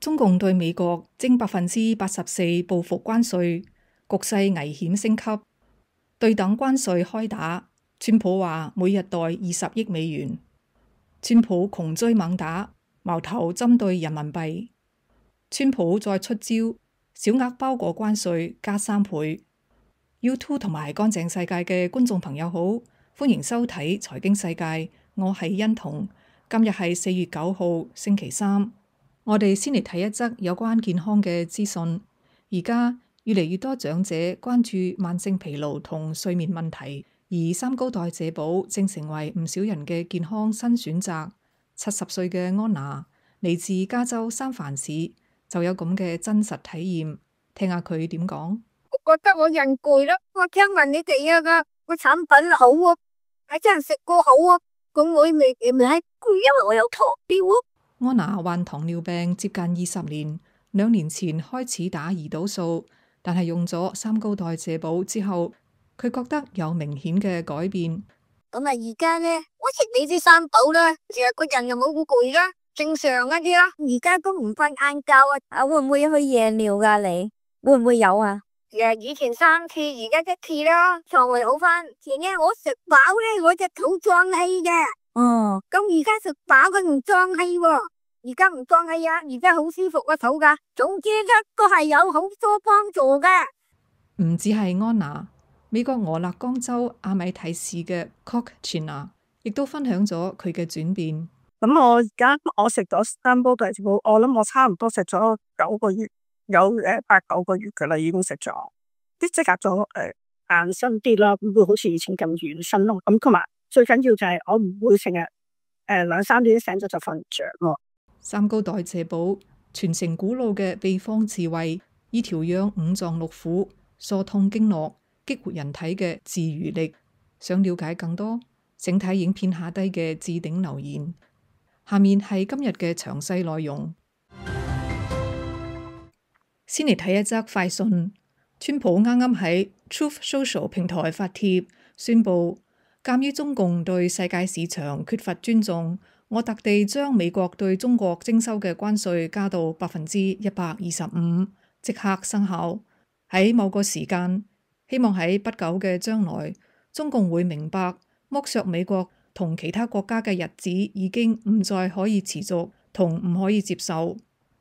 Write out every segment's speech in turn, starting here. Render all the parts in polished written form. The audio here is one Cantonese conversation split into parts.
中共對美國徵84%報復關稅，局勢危險升級，對等關稅開打。川普話每日袋20億美元。川普窮追猛打，矛頭針對人民幣。川普再出招，小額包裹關稅加3倍。YouTube 同埋乾淨世界嘅觀眾朋友好，歡迎收睇財經世界，我係欣彤。今日係4月9號星期三。我哋先嚟睇一則有關健康嘅資訊。而家越嚟越多長者關注慢性疲勞同睡眠問題，而三高代謝寶正成為唔少人嘅健康新選擇。70歲嘅安娜嚟自加州三藩市，就有咁嘅真實體驗，聽下佢點講。我覺得我人攰啦，我聽聞你哋個產品好啊，係真係食過好啊，咁我未攰，因為我有糖尿啊。安娜患糖尿病接近20年，2年前開始打胰島素，但係用咗三高代謝寶之後，佢覺得有明顯嘅改變。咁啊，而家呢，我食你啲三寶啦，成日個人又冇好攰啦，正常一啲啦。而家都唔瞓晏覺啊，會唔會去夜尿噶？你會唔會有啊？以前3次，而家1次啦，腸胃好翻。前呢我食飽呢，我隻肚脹氣嘅。咁而家食飽佢唔脹氣喎，而家唔脹氣啊，而家好舒服個肚噶。總之呢都係有好多幫助嘅。唔止係安娜，美國俄勒岡州阿米提市嘅 Cochina 亦都分享咗佢嘅轉變。咁我而家我食咗三煲代謝寶，我諗我差唔多食咗9個月，有8、9個月噶啦，已經食咗，啲即刻咗硬身啲啦，唔會好似以前咁軟身咯。咁同埋最緊要就係我唔會成日2、3點醒咗就瞓唔着咯。三高代謝寶傳承古老嘅秘方智慧，以調養五臟六腑、疏通經絡、激活人體嘅自愈力。想了解更多，請睇影片下低嘅置頂留言。下面係今日嘅詳細內容。先嚟睇一則快訊。川普啱啱喺 Truth Social 平台發帖，宣布鑑於中共對世界市場缺乏尊重，我特地將美國對中國徵收嘅關稅加到125%，即刻生效。喺某個時間，希望喺不久嘅將來，中共會明白剝削美國同其他國家嘅日子已經唔再可以持續同唔可以接受。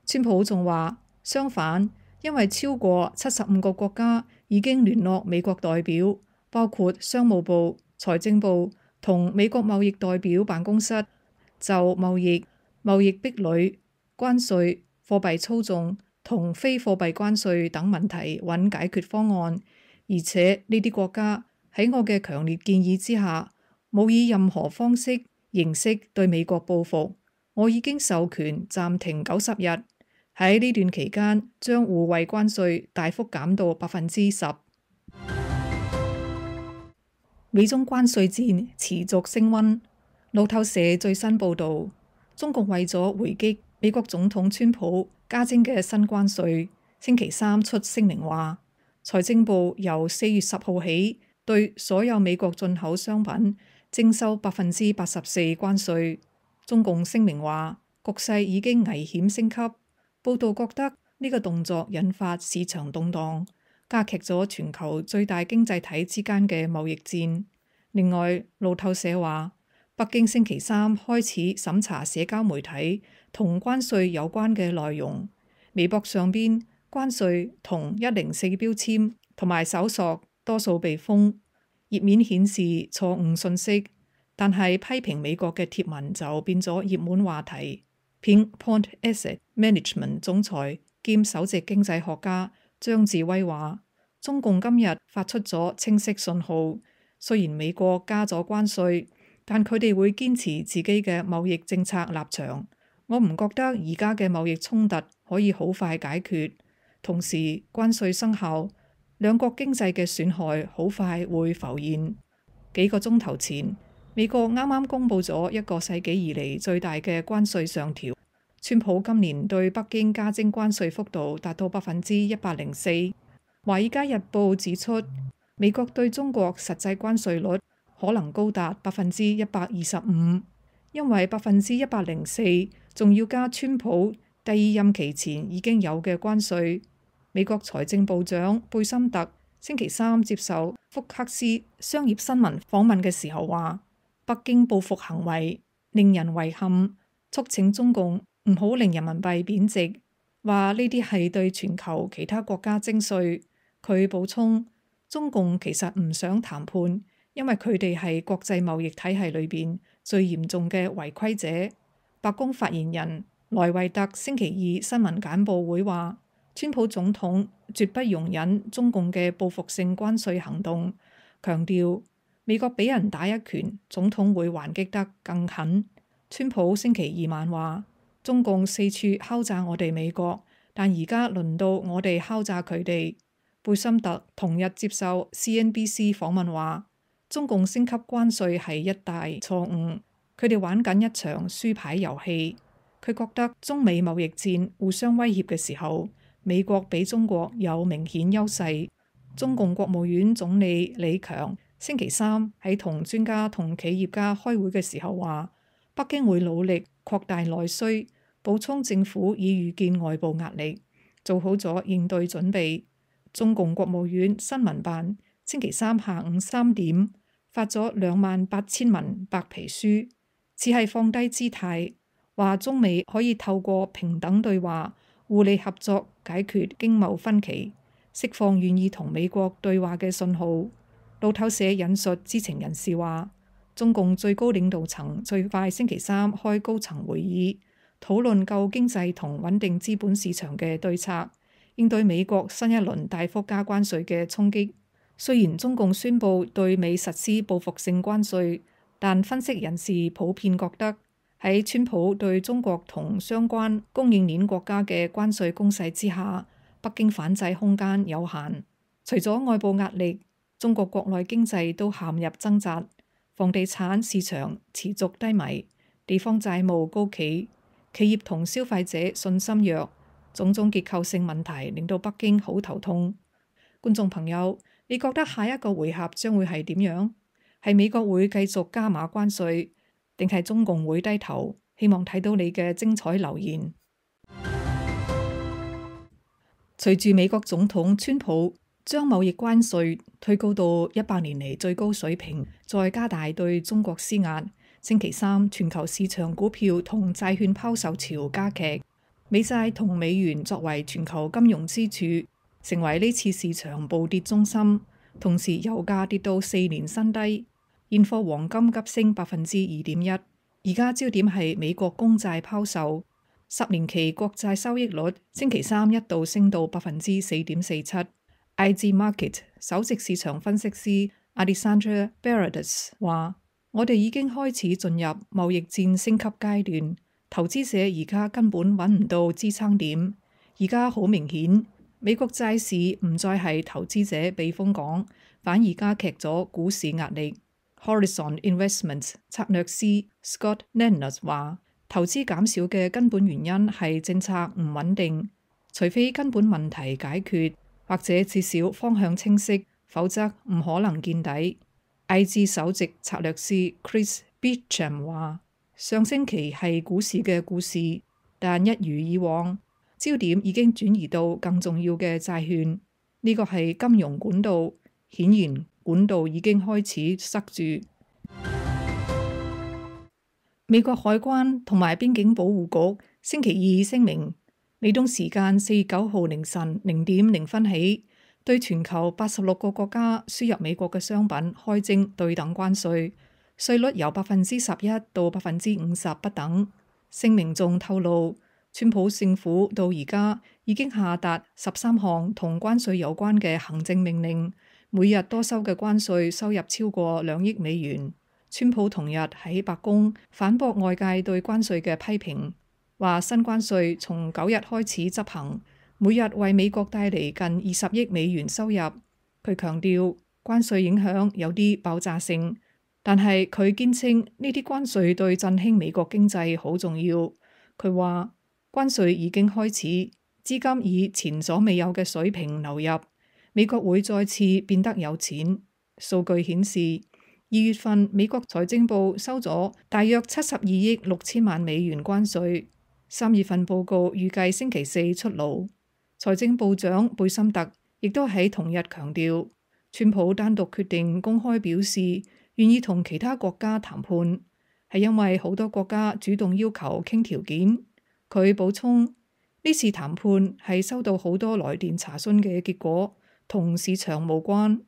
川普仲話，相反，因為超過75個國家已經聯絡美國代表，包括商務部、財政部同美國貿易代表辦公室，就貿易壁壘、關稅、貨幣操縱同非貨幣關稅等問題揾解決方案。而且呢啲國家喺我嘅強烈建議之下，冇以任何方式形式對美國報復。我已經授權暫停90日，喺呢段期間將互惠關稅大幅減到10%。美中關稅戰持續升溫。路透社最新報導，中共為咗回擊美國總統川普加徵嘅新關稅，星期三出聲明話，財政部由4月10號起對所有美國進口商品徵收84%關稅。中共聲明話，局勢已經危險升級。報道覺得呢個動作引發市場動盪，加劇咗全球最大經濟體之間嘅貿易戰。另外，路透社話，北京星期三開始審查社交媒體同關稅有關嘅內容。微博上邊關稅同104標籤同埋搜索多數被封，頁面顯示錯誤信息，但係批評美國嘅貼文就變咗熱門話題。Pinpoint Asset Management 總裁兼首席經濟學家張志威話，中共今日發出咗清晰信號，雖然美國加咗關稅，但佢哋會堅持自己嘅貿易政策立場。我唔覺得而家嘅貿易衝突可以好快解決，同時關稅生效，兩國經濟嘅損害好快會浮現。幾個鐘頭前，美國啱啱公布咗1個世紀以嚟最大嘅關稅上調。川普今年對北京加徵關稅幅度達到104%。華爾街日報指出，美國對中國實際關稅率可能高達125%，因為104%仲要加川普第二任期前已經有嘅關稅。美國財政部長貝森特星期三接受福克斯商業新聞訪問嘅時候話，北京報復行為令人遺憾，促請中共唔好令人民幣貶值，話呢啲係對全球其他國家徵稅。佢補充，中共其實唔想談判，因為佢哋係國際貿易體系裏邊最嚴重嘅違規者。白宮發言人萊維特星期二新聞簡報會話，川普總統絕不容忍中共嘅報復性關稅行動，強調美國俾人打一拳，總統會還擊得更狠。川普星期二晚話，中共四處敲詐我哋美國，但而家輪到我哋敲詐佢哋。貝森特同日接受 CNBC 訪問話，中共升級關稅係一大錯誤，佢哋玩緊一場輸牌遊戲。佢覺得中美貿易戰互相威脅嘅時候，美國比中國有明顯優勢。中共國務院總理李強星期三喺同專家同企業家開會嘅時候話，北京會努力擴大內需，補充政府已預見外部壓力，做好咗應對準備。中共國務院新聞辦星期三下午3點發咗28000文白皮書，只係放低姿態，話中美可以透過平等對話、互利合作解決經貿分歧，釋放願意同美國對話嘅信號。路透社引述知情人士話，中共最高領導層最快星期三開高層會議，討論救經濟同穩定資本市場嘅對策，應對美國新一輪大幅加關稅嘅衝擊。雖然中共宣布對美實施報復性關稅，但分析人士普遍覺得喺川普對中國同相關供應鏈國家嘅關稅攻勢之下，北京反制空間有限。除咗外部壓力，中國國內經濟都陷入掙扎，房地產市場持續低迷，地方債務高企，企業同消費者信心弱。種種結構性問題令到北京好頭痛。觀眾朋友，你覺得下一個回合將會係點樣？係美國會繼續加碼關稅，定係中共會低頭？希望睇到你嘅精彩留言。隨住美國總統川普將貿易關稅推高到100年嚟最高水平，再加大對中國施壓，星期三全球市場股票同債券拋售潮加劇。美債同美元作為全球金融支柱，成為呢次市場暴跌中心。同時，油價跌到4年新低，現貨黃金急升2.1%。而家焦點係美國公債拋售，10年期國債收益率星期三一度升到4.47%。IG Market 首席市場分析師 Alessandra Beredes 話：我哋已經開始進入貿易戰升級階段。投資者而家根本揾唔到支撐點，而家好明顯，美國債市唔再係投資者避風港，反而加劇咗股市壓力。Horizon Investments 策略師 Scott Nenner 話，投資減少嘅根本原因係政策唔穩定，除非根本問題解決，或者至少方向清晰，否則唔可能見底。IG 首席策略師 Chris Beacham 話，上星期係股市嘅故事，但一如以往，焦點已經轉移到更重要嘅債券。呢個係金融管道，顯然管道已經開始塞住。美國海關同埋邊境保護局星期二聲明，美東時間4月9號凌晨0:0分起，對全球86個國家輸入美國嘅商品開徵對等關稅。稅率由11%到50%不等。聲明仲透露，川普政府到而家已經下達13項同關稅有關嘅行政命令，每日多收嘅關稅收入超過2億美元。川普同日喺白宮反駁外界對關稅嘅批評，話新關稅從9日開始執行，每日為美國帶嚟近20億美元收入。佢強調關稅影響有啲爆炸性。但係佢堅稱呢啲關稅對振興美國經濟好重要。佢話關稅已經開始，資金以前所未有嘅水平流入，美國會再次變得有錢。數據顯示，2月份美國財政部收咗大約72億6千萬美元關稅， 3月份報告預計星期四出爐。財政部長貝森特亦都喺同日強調，川普單獨決定公開表示願意同其他國家談判，係因為好多國家主動要求傾條件。佢補充，呢次談判係收到好多來電查詢嘅結果，同市場無關。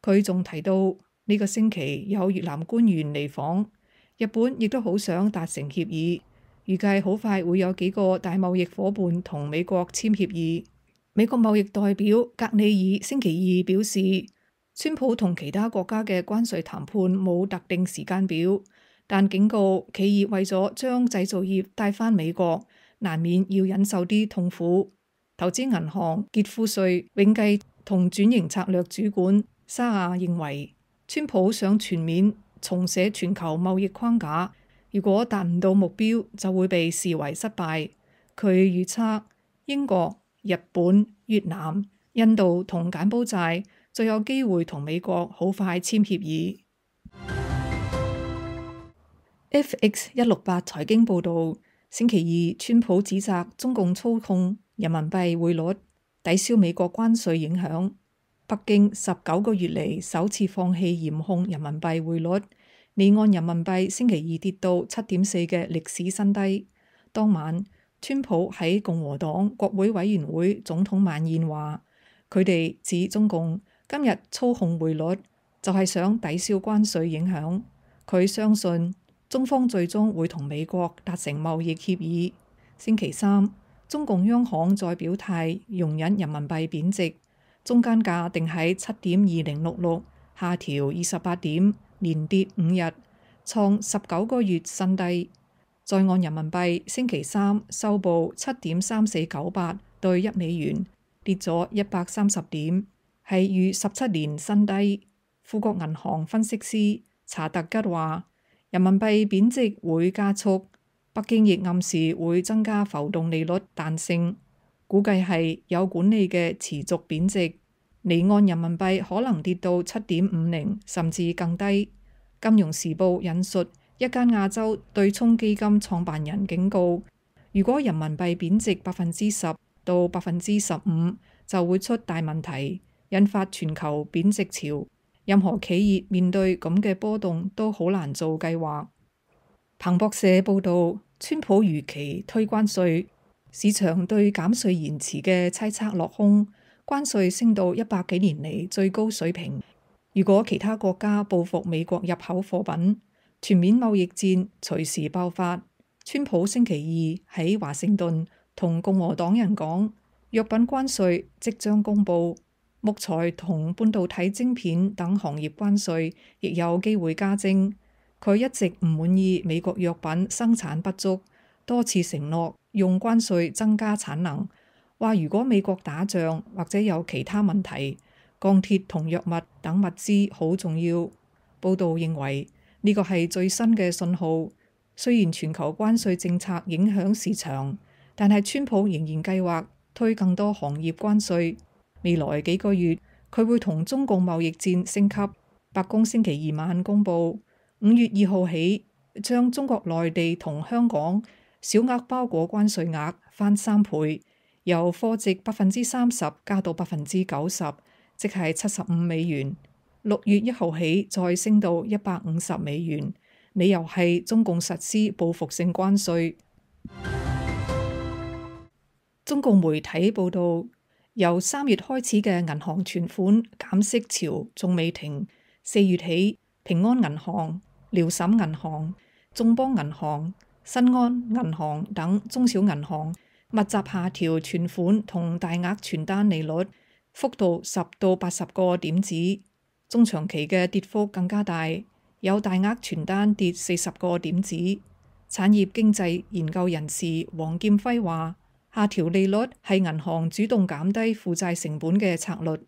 佢仲提到呢個星期有越南官員嚟訪，日本亦都好想達成協議，預計好快會有幾個大貿易夥伴同美國簽協議。美國貿易代表格里爾星期二表示，川普同其他國家嘅關稅談判冇特定時間表，但警告企業為咗將製造業帶返美國，難免要忍受啲痛苦。投資銀行傑富瑞永繼同轉型策略主管沙亞認為，川普想全面重寫全球貿易框架，如果達唔到目標，就會被視為失敗。佢預測英國、日本、越南、印度同柬埔寨就有機會同美國好快簽協議。FX168財經報導，星期二，川普指責中共操控人民幣匯率，抵消美國關稅影響。北京19個月嚟首次放棄嚴控人民幣匯率，離岸人民幣星期二跌到7.4嘅歷史新低。當晚，川普喺共和黨國會委員會總統晚宴話，佢哋指中共今日操控匯率就係想抵消關稅影響。佢相信中方最終會同美國達成貿易協議。星期三，中共央行再表態容忍人民幣貶值，中間價定喺7.2066，下調28點，連跌5日，創19個月新低。在岸人民幣星期三收報7.3498對1美元，跌咗130點，係逾17年新低。富國銀行分析師查特吉話，人民幣貶值會加速，北京亦暗示會增加浮動利率彈性，估計係有管理嘅持續貶值，離岸人民幣可能跌到7.50甚至更低。金融時報引述一間亞洲對沖基金創辦人警告，如果人民幣貶值10%到15%，就會出大問題，引發全球貶值潮。任何企業面對咁嘅波動都好難做計劃。彭博社報導，川普如期推關稅，市場對減稅延遲嘅猜測落空，關稅升到100幾年嚟最高水平。如果其他國家報復美國入口貨品，全面貿易戰隨時爆發。川普星期二喺華盛頓同共和黨人講，藥品關稅即將公佈，木材同半導體晶片等行業關稅亦有機會加徵。佢一直唔滿意美國藥品生產不足，多次承諾用關稅增加產能，話如果美國打仗或者有其他問題，鋼鐵同藥物等物資好重要。報道認為呢個係最新嘅信號。雖然全球關稅政策影響市場，但係川普仍然計劃推更多行業關稅。未來幾個月，佢會同中共貿易戰升級。白宮星期二晚公佈，5月2號起將中國內地同香港小額包裹關稅額翻3倍，由貨值30%加到90%，即係75美元。6月1號起再升到150美元，理由係中共實施報復性關稅。中共媒體報導，由3月開始嘅銀行存款減息潮仲未停。4月起，平安銀行、遼沈銀行、眾邦銀行、新安銀行等中小銀行密集下調存款同大額存單利率，幅度10到80個點子。中長期嘅跌幅更加大，有大額存單跌40個點子。產業經濟研究人士黃劍輝話，下調利率係銀行主動減低負債成本嘅策略。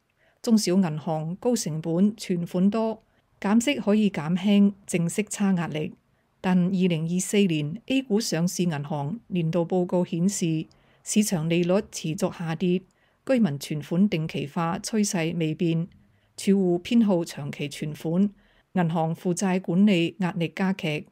中小銀行高成本存款多，減息可以減輕淨息差壓力。但2024年 A 股上市銀行年度報告顯示，市場利率持續下跌，居民存款定期化趨勢未變，儲戶偏好長期存款，銀行負債管理壓力加劇。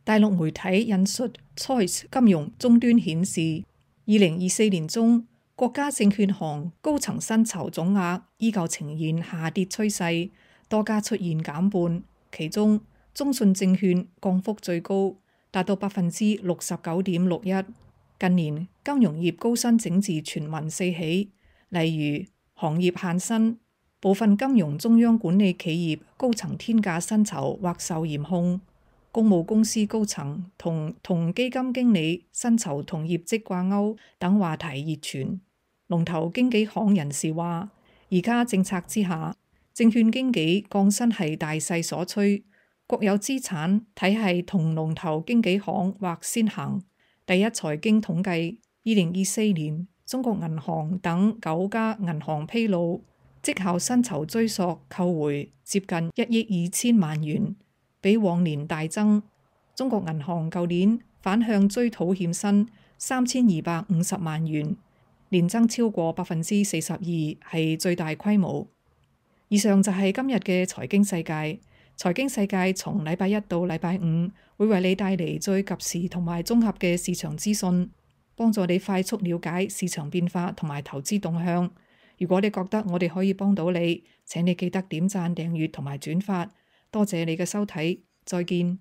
大陸媒體引述 Choice 金融終端顯示，2024年中國家證券行高層薪酬總額依舊呈現下跌趨勢，多家出現減半，其中中信證券降幅最高，達到69.61%。近年金融業高薪整治傳聞四起，例如行業限薪、部分金融中央管理企業高層天價薪酬或受嚴控、公募公司高層同基金經理薪酬同業績掛鈎等話題熱傳。龍頭經紀行人士話，而家政策之下，證券經紀降薪係大勢所趨，國有資產體系同龍頭經紀行或先行。第一財經統計，2024年中國銀行等9家銀行披露，績效薪酬追溯扣回接近1億2千萬元，比往年大增。中國銀行舊年反向追討欠薪3250萬元，年增超過42%，係最大規模。以上就係今日嘅財經世界。財經世界從禮拜一到禮拜五會為你帶嚟最及時同埋綜合嘅市場資訊，幫助你快速了解市場變化同埋投資動向。如果你覺得我哋可以幫到你，請你記得點讚、訂閱同埋轉發。多謝你嘅收睇，再見。